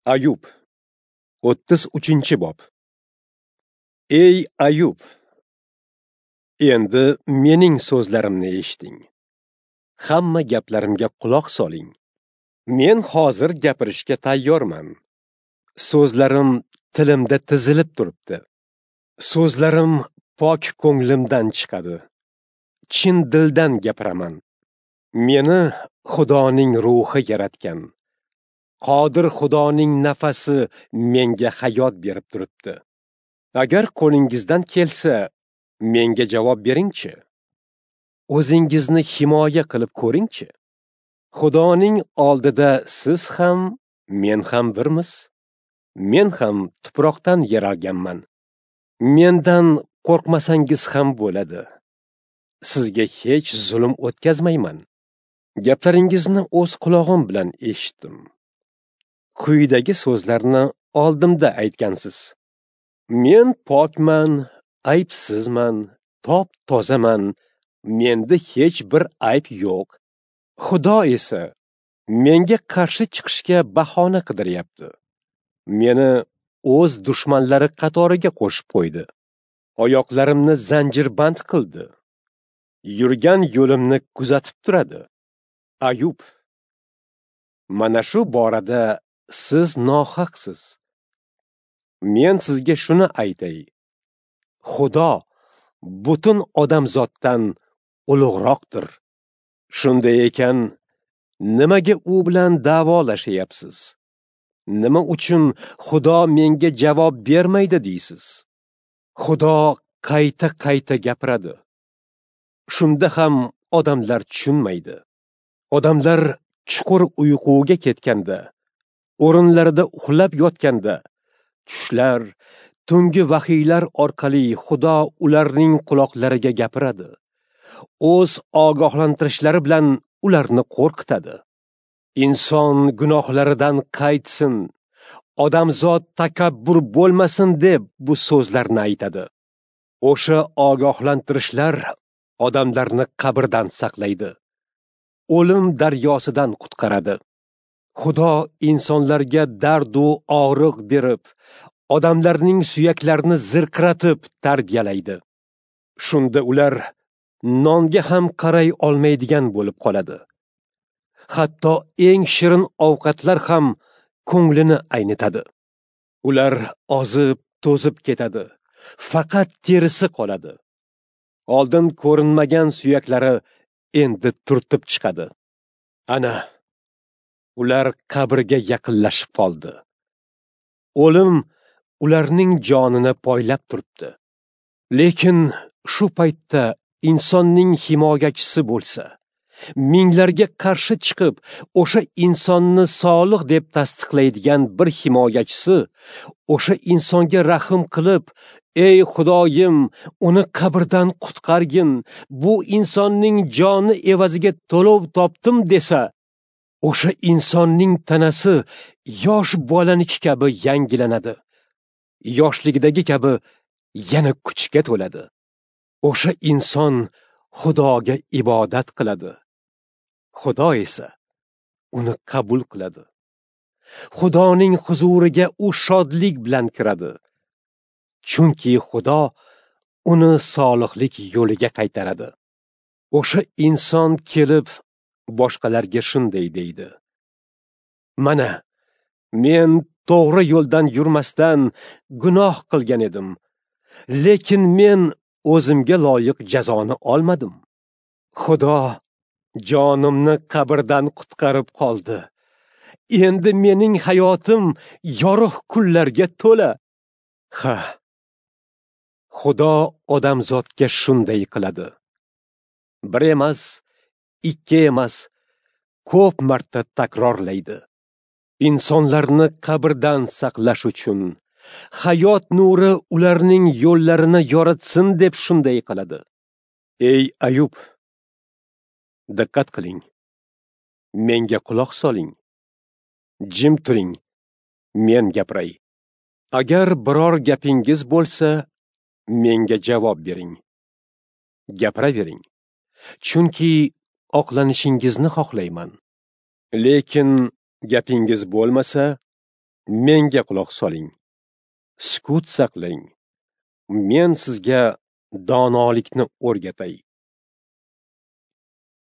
Ayub 33-bob. Ey Ayub, endi mening so'zlarimni eshiting. Hamma gaplarimga quloq soling. Men hozir gapirishga tayyorman. So'zlarim tilimda tizilib turibdi. So'zlarim pok ko'nglimdan chiqadi. Chin dildan gapiraman. Meni Xudoning ruhi yaratgan. Qodir Xudoning nafasi menga hayot berib turibdi. Agar qo'lingizdan kelsa, menga javob beringchi. O'zingizni himoya qilib ko'ringchi. Xudoning oldida siz ham, men ham birmiz. Men ham tuproqdan yaralganman. Mendan qo'rqmasangiz ham bo'ladi. Sizga hech zulm o'tkazmayman. Gaplaringizni o'z qulog'im bilan eshitdim. Quyidagi so'zlarni oldimda aytgansiz. Men pokman, aybsizman, top-tozaman, menda hech bir ayb yo'q. Xudo esa menga qarshi chiqishga bahona qidiryapti. Meni o'z dushmanlari qatoriga qo'shib qo'ydi. Oyoqlarimni zanjirband qildi. Yurgan yo'limni kuzatib turadi. Ayub, mana shu borada siz nohaqsiz. Men sizga shuni aytay. Xudo butun odamzoddan ulug'roqdir. Shunday ekan, nimaga u bilan da'volashyapsiz? Nima uchun Xudo menga javob bermaydi deysiz? Xudo qayta-qayta gapiradi. Shunda ham odamlar tushunmaydi. Odamlar chuqur uyquga ketganda, o'rinlarida uxlab yotganda, tushlar, tungi vahiylar orqali Xudo ularning quloqlariga gapiradi. O'z ogohlantirishlari bilan ularni qo'rqitadi. Inson gunohlaridan qaytsin, odamzod takabbur bo'lmasin deb bu so'zlarni aytadi. O'sha ogohlantirishlar odamlarni qabrdan saqlaydi. O'lim daryosidan qutqaradi. Xudo insonlarga dard u og'riq berib, odamlarning suyaklarini zirqiratib tarbiyalaydi. Shunda ular nonga ham qaray olmaydigan bo'lib qoladi. Hatto eng shirin ovqatlar ham ko'nglini aynitadi. Ular ozib, to'zib ketadi. Faqat terisi qoladi. Oldin ko'rinmagan suyaklari endi turtib chiqadi. Ana, ular qabrga yaqinlashib qoldi. O'lim ularning jonini poylab turibdi. Lekin shu paytda insonning himoyachisi bo'lsa, minglarga qarshi chiqib, o'sha insonni solih deb tasdiqlaydigan bir himoyachisi, o'sha insonga rahm qilib, ey Xudoyim, uni qabrdan qutqargin, bu insonning joni evaziga to'lov topdim desa, o'sha insonning tanasi yosh bolaniki kabi yangilanadi. Yoshligidagi kabi yana kuchga to'ladi. O'sha inson Xudoga ibodat qiladi. Xudo esa uni qabul qiladi. Xudoning huzuriga u shodlik bilan kiradi. Chunki Xudo uni solihlik yo'liga qaytaradi. O'sha inson kelib boshqalarga shunday deydi: Mana, men to'g'ri yo'ldan yurmasdan gunoh qilgan edim. Lekin men o'zimga loyiq jazoni olmadim. Xudo jonimni qabrdan qutqarib qoldi. Endi mening hayotim yorug' kunlarga to'la. Ha, Xudo odamzodga shunday qiladi. Bir emas, ikki emas, ko'p marta takrorlaydi. Insonlarni qabrdan saqlash uchun hayot nuri ularning yo'llarini yoritsin deb shunday qiladi. Ey Ayub, diqqat qiling. Menga quloq soling. Jim turing. Men gapiray. Agar biror gapingiz bo'lsa, menga javob bering. Gapiravering. Chunki oqlanishingizni xohlayman. Lekin gapingiz bo'lmasa, Menga quloq soling. Sukut saqlang. Men sizga donolikni o'rgatay.